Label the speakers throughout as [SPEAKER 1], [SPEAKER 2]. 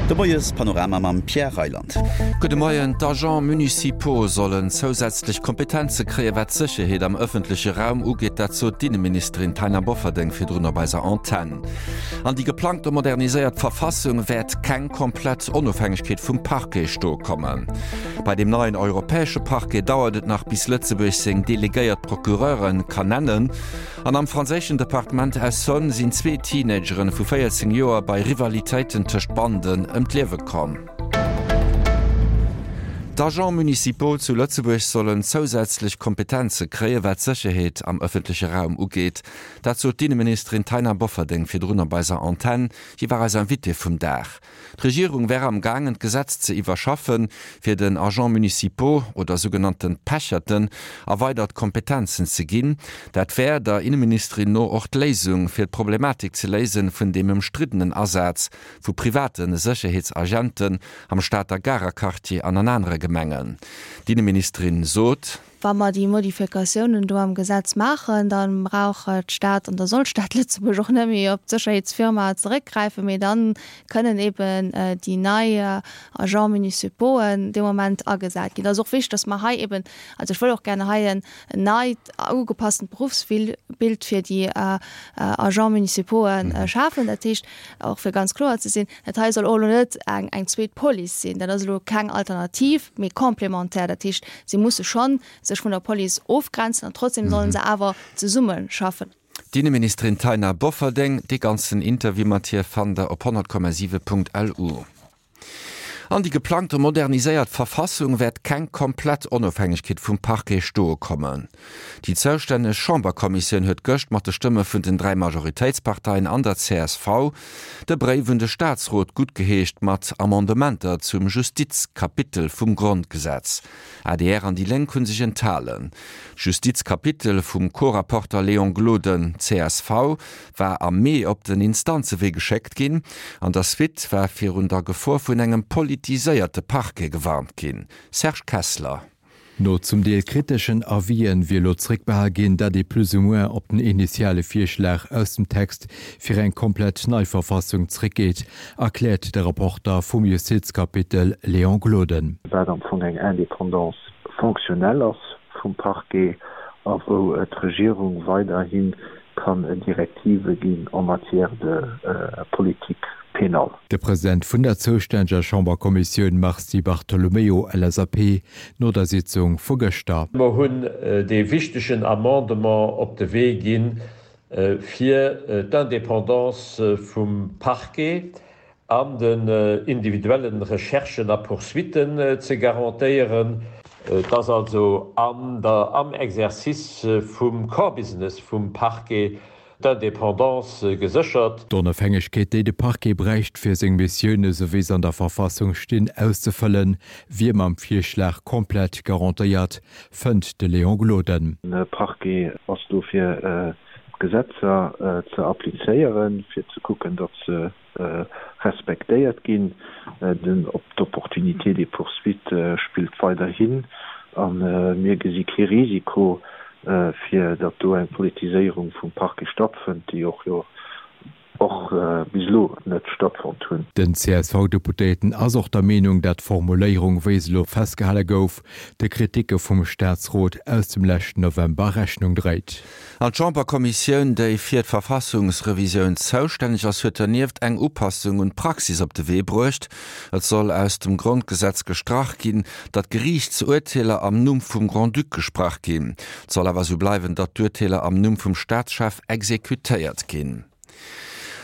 [SPEAKER 1] De Moies-Panorama mam Pierre Reyland.
[SPEAKER 2] Gudde Moien. D'Agents municipaux sollen zousätzlech Kompetenze kréien, wat d'Sécherheet am ëffentleche Raum ugeet. Dat sot d'Inneministerin Taina Bofferding virdrun op eiser Antenn. An déi geplangte moderniséiert Verfassung wäert keng komplett Onofhängegkeet vum Parquet stoe kommen. Bei deem neien europäesche Parquet dauert et nach, bis Lëtzebuerg seng delegéiert Procureure kann nennen. An am franséischen Departement Essonne sinn zwee Teenageren vu 14 Joer bei Rivalitéiten tëscht Banden ëm d'Liewe komm. D'Agents municipaux zu Lëtzebuerg sollen zousätzlech Kompetenze kréien, wat d'Sécherheet am ëffentleche Raum ugeet. Dat sot d'Inneministerin Taina Bofferding virdrun op eiser Antenn. Si war eis Invitée vum Dag. D'Regierung wär am gaangen d'Gesetz ze iwwerschaffen, fir den Agents municipaux oder sougenannten Pecherten erweidert Kompetenzen ze ginn. Dat wär der Inneministerin no och d'Léisung, fir d'Problematik ze léisen vun deem ëmstriddenen Asaz vu private Sécherheetsagenten am Stater Garer Quartier an an anere Gemengen. D'Inneministerin sot.
[SPEAKER 3] Wa mer déi Modifikatiounen do am Gesetz maachen, da brauch d'Stad an da soll d'Stad Lëtzebuerg och net méi op d'Sécherheetsfirma zeréckgräifen, mee da kënnen eben déi nei Agents municipauxen dee Moment agesat ginn. Et ass och wichtig, dass mer hei eben, also ech wëll och gerne hei en neit, ugepasstent Berufsbild fir déi Agents municipauxen schafen. Dat heescht, och fir ganz kloer ze sinn, Dat hei soll och elo net eng eng zweet Police sinn. Dat ass elo keng Alternativ, mee complémentaire. Dat heescht, si musse scho sech vun der Police ofgrenzen an trotzdem sollen se awer zesumme schaffen.
[SPEAKER 2] D'Inneministerin Taina Bofferding. Dee ganzen Interview mat hir fannt der op 100,7.lu. An déi geplangte moderniséiert Verfassung wäert keng komplett Onofhängegkeet vum Parquet stoe kommen. Déi zoustänneg Chamberkommissioun huet gëscht mat de Stëmme vun den 3 Majoritéitsparteien an der csv de Bréif un de Staatsrot guttgeheescht mat Amendementer zum Justizkapitel vum Grondgesetz. Adr an déi Lénk hu sech enthalen. D'Justizkapitel vum Co-Rapporter Léon Gloden, csv, war am Mee op den Instanzewee geschéckt ginn. An der Suite war virun der Gefor vun engem politiséierte Parquet gewarnt ginn. Serge Kessler.
[SPEAKER 4] No zum Deel kriteschen Avisen wier elo zréckbehal ginn, dat ee plus ou moins op den initiale Virschlag aus dem Text fir eng komplett nei Verfassung zréckgeet, erkläert de Rapporter vum Justizkapitel Léon Gloden.
[SPEAKER 5] Wat am Fong eng Indépendance fonctionnelle ass vum Parquet a wou d'Regierung weiderhi kann Direktive ginn en matière de politique pénale.
[SPEAKER 4] De President vun der zoustänneger Chamberkommissioun Mars Di Bartolomeo, LSAP, no der Sitzung vu gëschter.
[SPEAKER 6] Mer hunn dee wichtegen Amendement op de Wee ginn, fir d'Indépendance vum Parquet an den individuellen Recherchen a Poursuitten ze garantéieren. Et ass also an der am Exercice vum Core Business vum Parquet d'Indépendance geséchert.
[SPEAKER 4] D'Onofhängegkeet, déi de Parquet bräicht, fir seng Missioune sou wéi se an der Verfassung stinn, auszefëllen, wier mam Virschlag komplett garantéiert, fënnt de Léon Gloden.
[SPEAKER 5] De Parquet ass do fir d'Gesetzer ze applizéieren, fir ze kucken, datt se respektéiert ginn. Den op d'Opportunité des poursuites spillt weiderhin a mir gesi kee Risiko, fir datt do eng Politiséierung vum Parquet stattfënnt, déi och jo och bis elo net stattfonnt hunn.
[SPEAKER 4] Den CSV-Deputéierten ass och der Meenung, dat d'Formuléierung, wéi se elo festgehale gouf, de Kriticke vum Staatsrot aus dem leschten November Rechnung dréit.
[SPEAKER 2] An d'Chamberkommissioun, déi fir d'Verfassungsrevisioun zoustänneg ass, huet dernieft eng Upassung un d'Praxis op de Wee bruecht. Et soll aus dem Grondgesetz gestrach ginn, datt Geriichtsurteeler am Numm vum Grand-Duc gesprach ginn. Et soll awer esou bleiwen, datt d'Urteeler am Numm vum Staatschef exekutéiert ginn.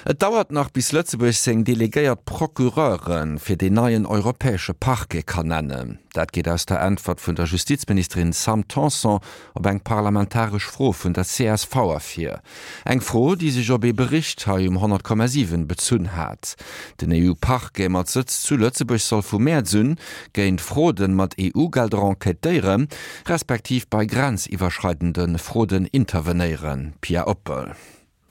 [SPEAKER 2] Et dauert nach, bis Lëtzebuerg seng delegéiert Procureure fir deen neien europäesche Parquet kann nennen. Dat geet aus der Äntwert vun der Justizministerin Sam Tanson op eng parlamentaresch Fro vun der csv ervir. Eng Fro, déi sech op ee Bericht hei um 100,7 bezunn hat. Den EU-Parquet mat Sëtz zu Lëtzebuerg soll vu Mäerz un géint Fraude mat EU-Gelder enquêtéieren, respektiv bei grenziwwerschreidende Fraude intervenéieren. Pia Oppel.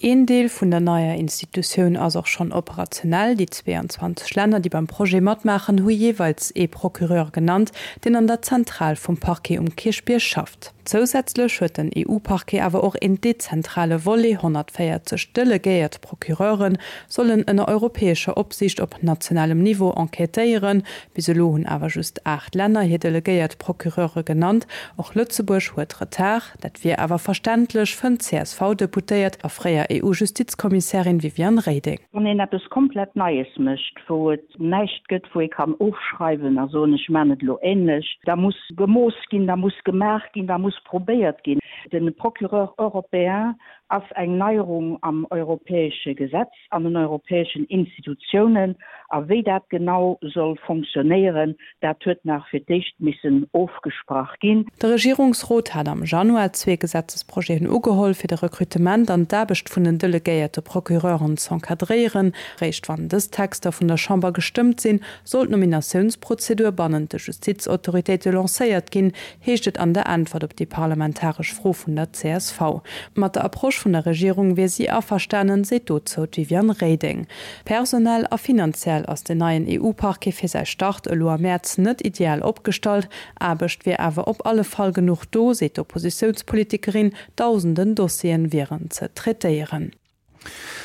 [SPEAKER 7] Een Deel vun der neier Institutioun ass och schonn operationell. Déi 22 Länner, déi beim Projet matmaachen, hu jeeweils ee Procureur genannt, deen an der Zentral vum Parquet um Kierchbierg schafft. Zousätzlech huet den EU-Parquet awer och een dezentrale Volet, 140 delegéiert Procureure sollen ënner europäescher Opsiicht op nationalem Niveau enquêtéieren. Bis elo hunn awer just 8 Länner hir delegéiert Procureure genannt. Och Lëtzebuerg huet Retard. Dat wier awer verständlech, fënnt d'CSV-Deputéiert a fréier EU-Justizkommissärin Viviane Reding.
[SPEAKER 8] Wann een eppes komplett Neies mécht, wou et näischt gëtt, wou ee kann ofschreiwen a soen, ech maachen et elo änlech, da muss gemooss ginn, da muss gemaach ginn, da muss probéiert ginn. De Procureur européen ass eng Neierung am europäesche Gesetz, an den europäeschen Institutiounen. A wéi dat genau soll fonctionnéieren, dat huet nach fir d'éischt missen ofgesprach ginn.
[SPEAKER 7] De Regierungsrot hat am Januar zwee Gesetzesprojeten ugeholl, fir de Recrutement an d'Aarbecht vun den delegéierte Procureuren z'encadréieren. Réischt wann dës Texter vun der Chamber gestëmmt sinn, soll d'Nominatiounsprozedur bannent de Justizautoritéite lancéiert ginn, heescht et an der Äntwert op déi parlamentaresch Fro vun der csv. Mat der Approche vun der Regierung wier si averstanen, seet dozou d'Viviane Reding. Personell a finanziell ass den neien EU-Parquet fir säi Start elo am Mäerz net ideal opgestallt. Aarbecht wier awer op alle Fall genuch do, seet d'Oppositiounspolitikerin. Dausenden Dossieren wieren ze traitéieren.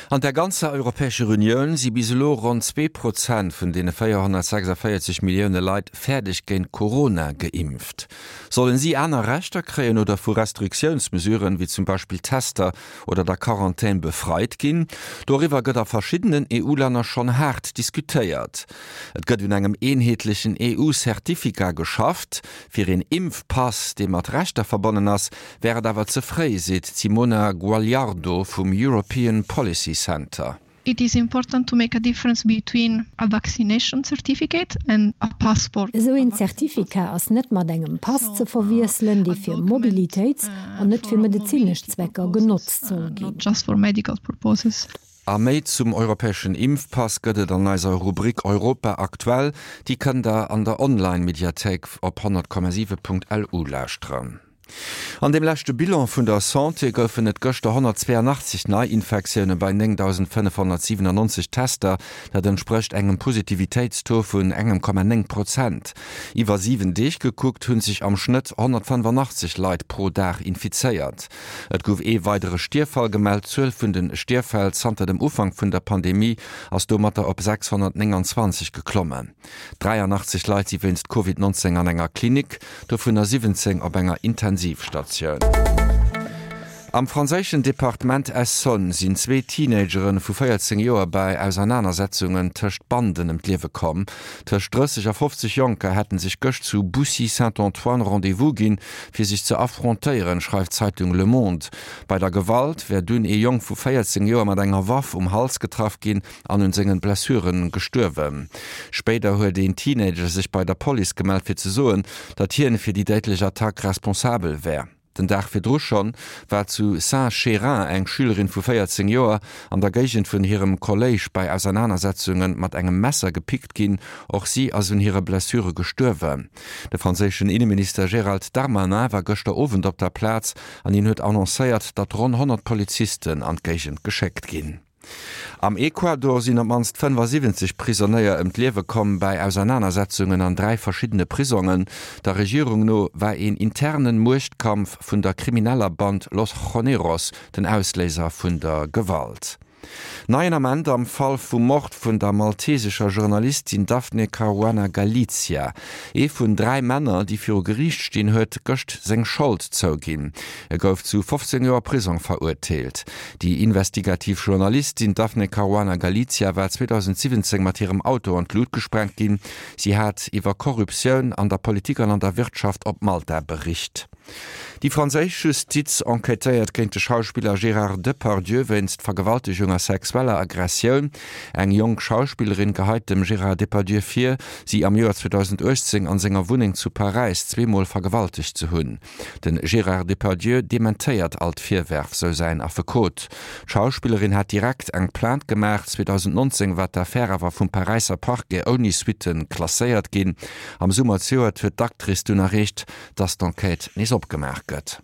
[SPEAKER 2] An der ganzer Europäescher Unioun si bis elo ronn 2% vun deene 446 Millioune Leit fäerdeg géint Corona geimpft. Sollen si aner Rechter kréien oder vu Restriktiounsmesuren, wéi zum Beispill Tester oder der Quarantän befreit ginn? Doriwwer gëtt a verschiddenen EU-Länner schonn haart diskutéiert. Et gëtt un engem eenheetlechen EU-Certificat geschafft. Fir een Impfpass, dee mat Rechter verbonnen ass, Wär et awer ze fréi, seet d'Simona Guagliardo vum European Policy Center.
[SPEAKER 9] It is important to make a difference between a vaccination certificate and a passport.
[SPEAKER 10] Esou een Zertifikat ass net mat engem Pass ze verwiesselen, dee fir Mobilitéits an net fir medezinesch Zwecker genotzt soll ginn.
[SPEAKER 2] A méi zum europäeschen Impfpass gëtt et an eiser Rubrik Europa aktuell. Déi kënnt der an der Online-Mediathéik op 100,7.lu lauschteren. An deem leschte Bilan vun der Santé goufen et gëschter 182 Neiinfektioune bei 9.597 Tester. Dat entsprécht engem Positivitéitstaux vun engem Komma 9 Prozent. Iwwer 7 Deeg gekuckt hu sech am Schnëtt 185 Leit pro Dag infizéiert. Et gouf ee weidere Stierffall gemellt. D'Zuel vun de Stierffäll zanter dem Ufank vun der Pandemie ass domatter op 629 geklommen. 83 Leit si wéinst Covid 19 an enger Klinik, dovunner 17 op enger Intensivstatioun. Am franséischen Departement Essonne sinn zwee Teenagere vu 14 Joer bei Ausernanersetzungen tëscht Banden ëm d'Liewe komm. Tëscht 30 a 50 Jonker hätte sech gëscht zu Boussy-Saint-Antoine Rendez-vous ginn, fir sech ze affrontéieren, schreift d'Zeitung Le Monde. Bei der Gewalt wär dunn ee Jong vu 14 Joer mat enger Waff um Hals getraff ginn an un sengen Blessuren gestuerwen. Spéider huet een Teenager sech bei der Police gemellt fir ze soen, datt hien fir déi déidlech Attack responsabel wär. Den Dag virdru schonn war zu Saint-Chérin eng Schülerin vu 14 Joer an der Géigend vun hirem Kolléisch bei Ausernanersetzunge mat engem Messer gepickt ginn. Och si ass un hire Blessure gestuerwen. De franséischen Inneminister Gérald Darmanin war gëschter Owend op der Plaz an hien huet annoncéiert, datt ronn 100 Polizisten an d'Géigend geschéckt ginn. Am Ecuador sinn op d'mannst 75 Prisonéier ëm d'Liewe komm bäi Ausernanersetzungen an 3 verschiddene Prisongen. Der Regierung no war een internen Muechtkampf vun der krimineller Band Los Choneros den Ausléiser vun der Gewalt. Neien Ament am Fall vum Mord vun der maltesescher Journalistin Daphne Caruana Galizia. Ee vun 3 Männer, déi viru Geriicht stinn, huet gëscht seng Schold zouginn. E gouf zu 15 Joer Prisong verurteelt. Déi investigativ Journalistin Daphne Caruana Galizia war 2017 mat hirem Auto an d'Lut gesprengt ginn. Si hat iwwer Korruptioun an der Politik an an der Wirtschaft op Malta bericht. Déi franséisch Justiz enquêtéiert géint de Schauspiller Gérard Depardieu wéinst Vergewaltegung a sexueller Aggressioun. Eng jonk Schauspillerin geheit dem Gérard Depardieu vir, si am Joer 2018 an senger Wunneng zu Paräis zweemol vergewaltegt ze hunn. De Gérard Depardieu dementéiert all d'Virwërf, sou säin Affekot. D'Schauspillerin hat direkt eng Plainte gemaach. 2019 war d'Affär awer vum Paräisser Parquet ouni Suitte klasséiert ginn. Am Summer zejoert huet d'Actrice dunn erreecht, datt d'Enquête nees opgemaach gëtt.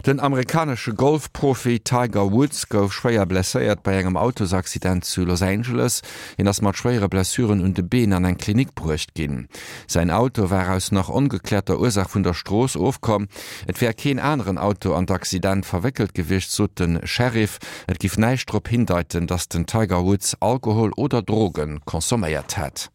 [SPEAKER 2] Den amerikanesche Golfprofi Tiger Woods gouf schwéier blesséiert bei engem Autosaccident zu Los Angeles. Hien ass mat schwéiere Blessuren un de Been an eng Klinik bruecht ginn. Säin Auto war aus nach ongekläerter Ursaach vun der Strooss ofkomm. Et wär keen aneren Auto an d'Accident verwéckelt gewiescht, sot de Sheriff. Et giff näischt drop hindeiten, datt den Tiger Woods Alkohol oder Droge consomméiert hätt.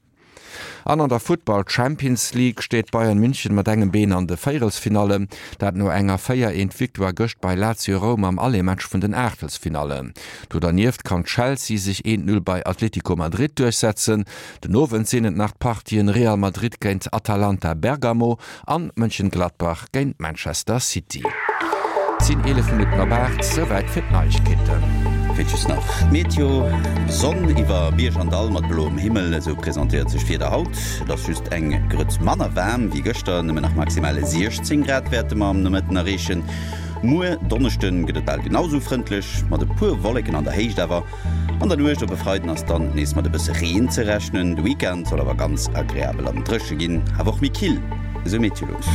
[SPEAKER 2] An an der Futtball Champions League steet Bayern München mat engem Been an de Véierelsfinallen. Dat no enger 4 eent Victoire gëscht bei Lazio Roum am Aller-Match vun den Aachtelsfinallen. Do dernieft kann Chelsea sech eent Null bei Atletico Madrid duerchsetzen. Den Owend sinn et nach d'Partien Real Madrid géint Atalanta Bergamo an Mönchengladbach géint Manchester City. Et sinn 11 Minutten op 8, souwäit fir d'Neiegkeeten.
[SPEAKER 1] Fir just nach d'Meteo, Sonn iwwer Bierg an Dall mat bloem Himmel, esou presentéiert sech d'Wieder haut. Et ass just eng Grëtz manner waarm wéi gëschter, nëmmen nach maximal 16 Grad wäerte mer am Nomëtten erreechen. Muer Donneschde gëtt et bal genau esou frëndlech, mat e puer Wolleken an der Héicht awer. An der Nuecht op e Freiden ass dann nees mat e bësse Reen ze rechnen. De Weekend soll awer ganz agreabel an dréche ginn, awer och méi kill, esou Meteolux.